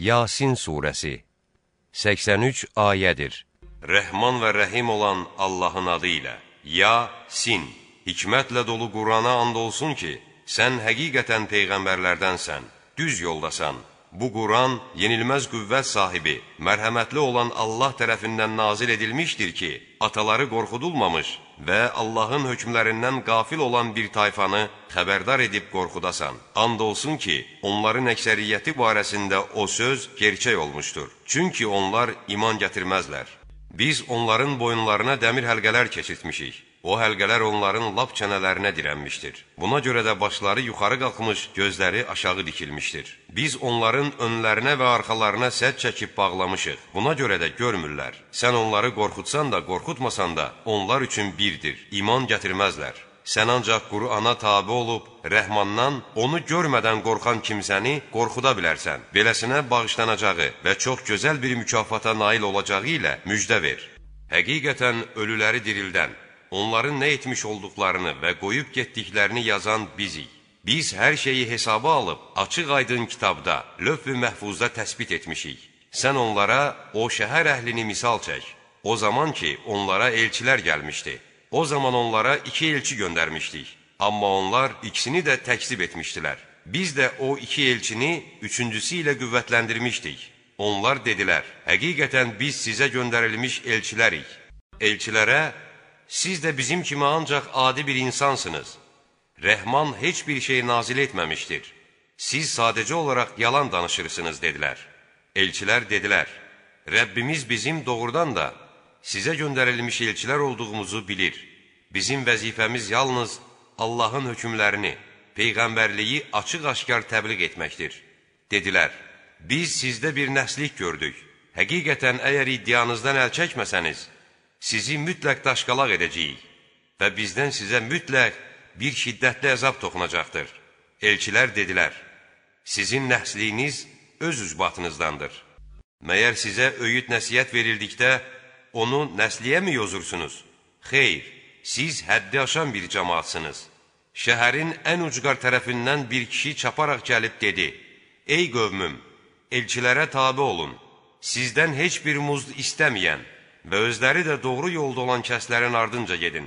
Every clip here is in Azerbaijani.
Yasin surəsi 83 ayədir. Rəhman və rəhim olan Allahın adı ilə. Yasin, hikmətlə dolu Qurana and olsun ki, sən həqiqətən peyğəmbərlərdənsən, düz yoldasan. Bu Quran yenilməz qüvvət sahibi, mərhəmətli olan Allah tərəfindən nazil edilmişdir ki, ataları qorxudulmamış və Allahın hökmlərindən qafil olan bir tayfanı xəbərdar edib qorxudasan. And olsun ki, onların əksəriyyəti barəsində o söz gerçək olmuşdur. Çünki onlar iman gətirməzlər. Biz onların boyunlarına dəmir həlqələr keçirtmişik. O həlqələr onların lap çənələrinə dirənmişdir. Buna görə də başları yuxarı qalxmış, gözləri aşağı dikilmişdir. Biz onların önlərinə və arxalarına sədd çəkib bağlamışıq. Buna görə də görmürlər. Sən onları qorxutsan da, qorxutmasan da, onlar üçün birdir. İman gətirməzlər. Sən ancaq Qur'ana tabi olub, Rəhmandan onu görmədən qorxan kimsəni qorxuda bilərsən. Beləsinə bağışlanacağı və çox gözəl bir mükafata nail olacağı ilə müjdə ver. Həqiqətən ölüləri dirildən, onların nə etmiş olduqlarını və qoyub getdiklərini yazan bizik. Biz hər şeyi hesaba alıb, açıq-aydın kitabda, lövh-i məhfuzda təsbit etmişik. Sən onlara o şəhər əhlini misal çək. O zaman ki, onlara elçilər gəlmişdi. O zaman onlara 2 elçi göndərmişdik. Amma onlar ikisini də təkzib etmişdilər. Biz də o 2 elçini 3-cüsü ilə qüvvətləndirmişdik. Onlar dedilər, həqiqətən biz sizə göndərilmiş elçilərik. Elçilərə, siz də bizim kimi ancaq adi bir insansınız. Rəhman heç bir şey nazil etməmişdir. Siz sadəcə olaraq yalan danışırsınız, dedilər. Elçilər dedilər, Rəbbimiz bizim doğrudan da sizə göndərilmiş elçilər olduğumuzu bilir. Bizim vəzifəmiz yalnız Allahın hökmlərini, peyğəmbərliyi açıq-aşkar təbliğ etməkdir. Dedilər, biz sizdə bir nəslik gördük. Həqiqətən əgər iddianızdan əl çəkməsəniz, sizi mütləq daşqalaq edəcəyik və bizdən sizə mütləq bir şiddətli əzab toxunacaqdır. Elçilər dedilər, sizin nəsliyiniz öz üzbatınızdandır. Məyər sizə öyüd nəsiyyət verildikdə, onu nəsliyəmi yozursunuz? Xeyr, siz həddi aşan bir cəmaatsınız. Şəhərin ən ucqar tərəfindən bir kişi çaparaq gəlib dedi, ey qövmüm, elçilərə tabi olun, sizdən heç bir muzd istəməyən və özləri də doğru yolda olan kəslərin ardınca gedin.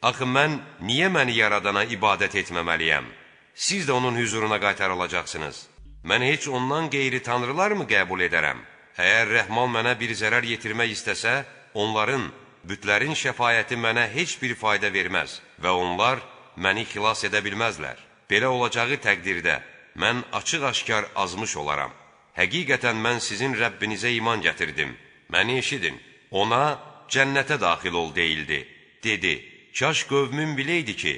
Axı mən niyə məni yaradana ibadət etməməliyəm? Siz də onun hüzuruna qaytarılacaqsınız. Mən heç ondan qeyri tanrılar mı qəbul edərəm? Əgər Rəhman mənə bir zərər yetirmək istəsə, onların, bütlərin şəfayəti mənə heç bir fayda verməz və onlar məni xilas edə bilməzlər. Belə olacağı təqdirdə mən açıq-aşkar azmış olaram. Həqiqətən mən sizin Rəbbinizə iman gətirdim. Məni eşidin. Ona cənnətə daxil ol deyildi. Dedi, kaş qövmüm biləydi ki,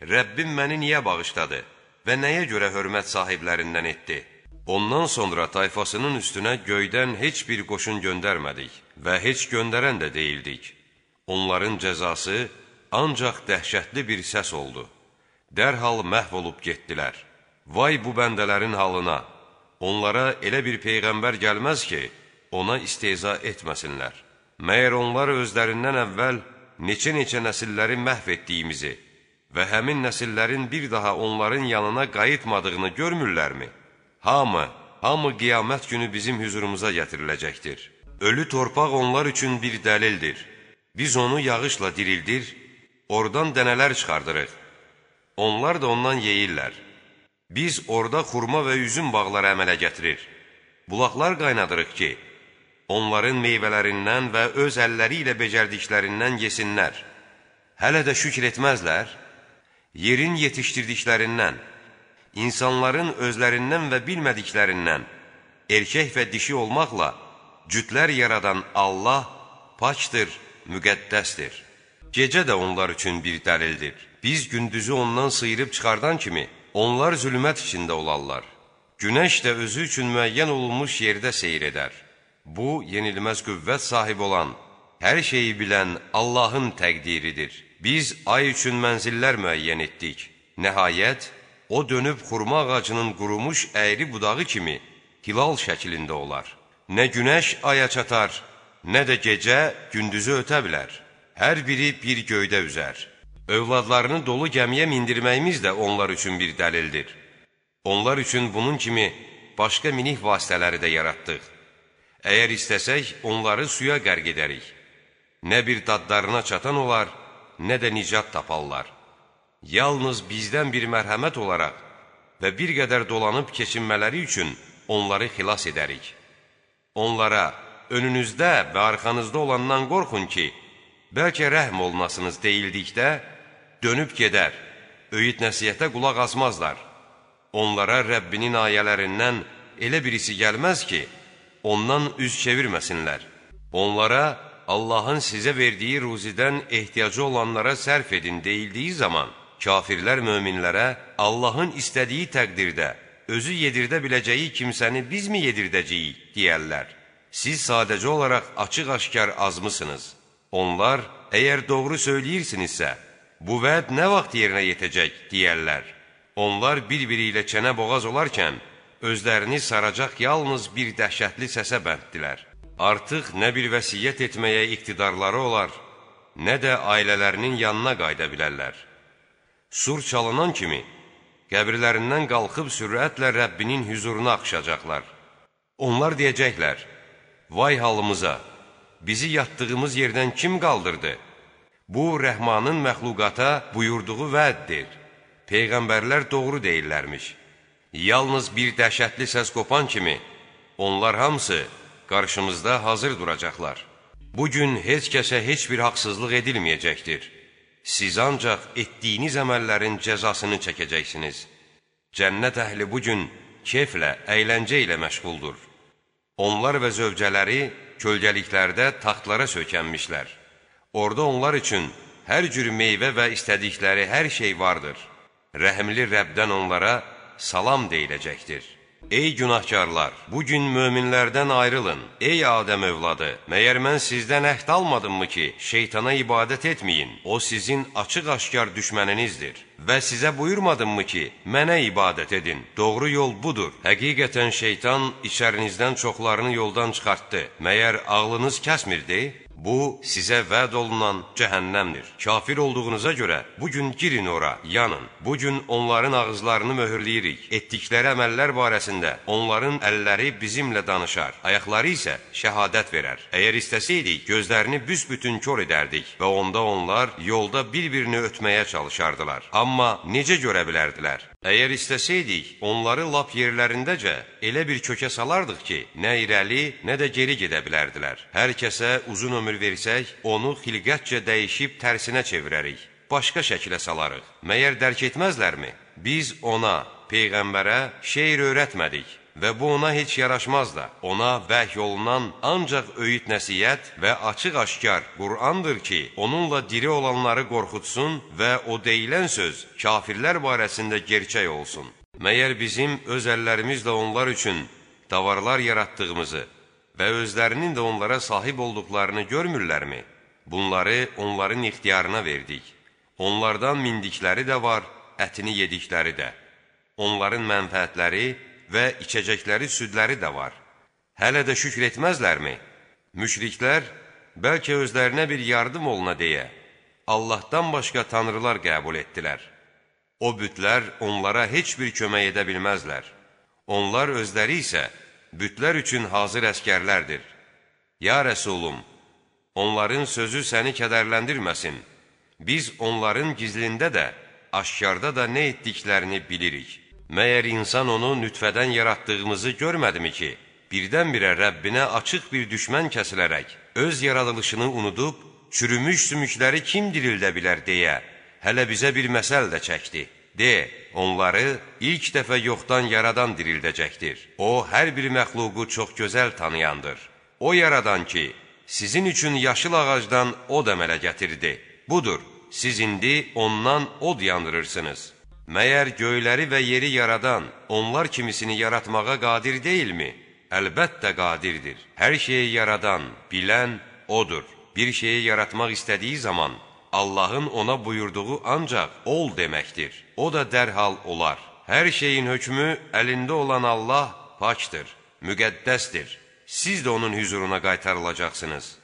Rəbbim məni niyə bağışladı və nəyə görə hörmət sahiblərindən etdi? Ondan sonra tayfasının üstünə göydən heç bir qoşun göndərmədik və heç göndərən də deyildik. Onların cəzası ancaq dəhşətli bir səs oldu. Dərhal məhv olub getdilər. Vay bu bəndələrin halına! Onlara elə bir peyğəmbər gəlməz ki, ona istehza etməsinlər. Məyər onlar özlərindən əvvəl neçə-neçə nəsilləri məhv etdiyimizi və həmin nəsillərin bir daha onların yanına qayıtmadığını görmürlərmi? Hamı qiyamət günü bizim hüzurumuza gətiriləcəkdir. Ölü torpaq onlar üçün bir dəlildir. Biz onu yağışla dirildir, oradan dənələr çıxardırıq. Onlar da ondan yeyirlər. Biz orada xurma və üzüm bağları əmələ gətirir. Bulaqlar qaynadırıq ki, onların meyvələrindən və öz əlləri ilə becərdiklərindən yesinlər. Hələ də şükür etməzlər. Yerin yetişdirdiklərindən, insanların özlərindən və bilmədiklərindən, erkək və dişi olmaqla cütlər yaradan Allah paçdır, müqəddəsdir. Gecə də onlar üçün bir dəlildir. Biz gündüzü ondan sıyırıb çıxardan kimi, onlar zülmət içində olarlar. Günəş də özü üçün müəyyən olunmuş yerdə seyr edər. Bu, yenilməz qüvvət sahibi olan, hər şeyi bilən Allahın təqdiridir. Biz ay üçün mənzillər müəyyən etdik. Nəhayət, o dönüb xurma ağacının qurumuş əyri budağı kimi hilal şəklində olar. Nə günəş aya çatar, nə də gecə gündüzü ötə bilər. Hər biri bir göydə üzər. Övladlarını dolu gəmiyə mindirməyimiz də onlar üçün bir dəlildir. Onlar üçün bunun kimi başqa minik vasitələri də yaratdıq. Əgər istəsək, onları suya qərq edərik. Nə bir dadlarına çatan olar, nə də nicat taparlar. Yalnız bizdən bir mərhəmət olaraq və bir qədər dolanıb keçinmələri üçün onları xilas edərik. Onlara önünüzdə və arxanızda olandan qorxun ki, bəlkə rəhm olunasınız deyildikdə, dönüb gedər, öyüd nəsihətə qulaq asmazlar. Onlara Rəbbinin ayələrindən elə birisi gəlməz ki, ondan üz çevirməsinlər. Onlara Allahın sizə verdiyi ruzidən ehtiyacı olanlara sərf edin deyildiyi zaman, kafirlər möminlərə Allahın istədiyi təqdirdə özü yedirdə biləcəyi kimsəni biz mi yedirdəcəyik deyərlər. Siz sadəcə olaraq açıq-aşkar azmısınız. Onlar, əgər doğru söyləyirsinizsə, bu vəd nə vaxt yerinə yetəcək deyərlər. Onlar bir-biri ilə çənə boğaz olarkən, özlərini saracaq yalnız bir dəhşətli səsə bənddilər. Artıq nə bir vəsiyyət etməyə iqtidarları olar, nə də ailələrinin yanına qayıda bilərlər. Sur çalınan kimi, qəbirlərindən qalxıb sürətlə Rəbbinin hüzuruna axışacaqlar. Onlar deyəcəklər, vay halımıza, bizi yatdığımız yerdən kim qaldırdı? Bu, Rəhmanın məxluqata buyurduğu vəddir. Peyğəmbərlər doğru deyirlərmiş. Yalnız bir dəhşətli səs qopan kimi, onlar hamısı qarşımızda hazır duracaqlar. Bugün heç kəsə heç bir haqsızlıq edilməyəcəkdir. Siz ancaq etdiyiniz əməllərin cəzasını çəkəcəksiniz. Cənnət əhli bugün keyflə, əyləncə ilə məşğuldur. Onlar və zövcələri kölgəliklərdə taxtlara söykənmişlər. Orada onlar üçün hər cür meyvə və istədikləri hər şey vardır. Rəhimli Rəbdən onlara salam deyiləcəkdir. Ey günahkarlar, bugün möminlərdən ayrılın. Ey Adəm övladı, məyər mən sizdən əhd almadımmı ki, şeytana ibadət etməyin? O sizin açıq-aşkar düşməninizdir. Və sizə buyurmadımmı ki, mənə ibadət edin? Doğru yol budur. Həqiqətən şeytan içərinizdən çoxlarını yoldan çıxartdı. Məyər ağlınız kəsmirdi? Bu, sizə vəd olunan cəhənnəmdir. Kafir olduğunuza görə bugün girin ora, yanın. Bugün onların ağızlarını möhürləyirik. Etdikləri əməllər barəsində onların əlləri bizimlə danışar, ayaqları isə şəhadət verər. Əgər istəsəydik, gözlərini büsbütün kör edərdik və onda onlar yolda bir-birini ötməyə çalışardılar. Amma necə görə bilərdilər? Əgər istəsəydik, onları lap yerlərindəcə elə bir kökə salardıq ki, nə irəli, nə də geri gedə bilərdilər. Hər kəsə uzun ömür versək, onu xilqətcə dəyişib tərsinə çevirərik, başqa şəkilə salarıq. Məyər dərk etməzlərmi? Biz ona, Peyğəmbərə şeir öyrətmədik və bu ona heç yaraşmaz da. Ona vəhy olunan ancaq öyüd nəsihət və açıq-aşkar Qur'andır ki, onunla diri olanları qorxutsun və o deyilən söz kafirlər barəsində gerçək olsun. Məyər bizim öz əllərimizlə onlar üçün davarlar yaratdığımızı və özlərinin də onlara sahib olduqlarını görmürlərmi? Bunları onların ixtiyarına verdik. Onlardan mindikləri də var, ətini yedikləri də. Onların mənfəətləri və içəcəkləri südləri də var. Hələ də şükr etməzlərmi? Müşriklər, bəlkə özlərinə bir yardım oluna deyə, Allahdan başqa tanrılar qəbul etdilər. O bütlər onlara heç bir kömək edə bilməzlər. Onlar özləri isə bütlər üçün hazır əskərlərdir. Ya Rəsulum, onların sözü səni kədərləndirməsin. Biz onların gizlində də, aşkarda da nə etdiklərini bilirik. Məyər insan onu nütfədən yaratdığımızı görmədimi ki, birdən-birə Rəbbinə açıq bir düşmən kəsilərək, öz yaradılışını unudub, çürümüş sümükləri kim dirildə bilər deyə, hələ bizə bir məsəl də çəkdi. De, onları ilk dəfə yoxdan yaradan dirildəcəkdir. O, hər bir məxluqu çox gözəl tanıyandır. O yaradan ki, sizin üçün yaşıl ağacdan od əmələ gətirdi. Budur, siz indi ondan od yandırırsınız. Məyər göyləri və yeri yaradan, onlar kimisini yaratmağa qadir deyilmi? Əlbəttə qadirdir. Hər şeyi yaradan, bilən odur. Bir şeyi yaratmaq istədiyi zaman, Allahın ona buyurduğu ancaq ol deməkdir. O da dərhal olar. Hər şeyin hökmü əlində olan Allah pakdır, müqəddəsdir. Siz də onun hüzuruna qaytarılacaqsınız.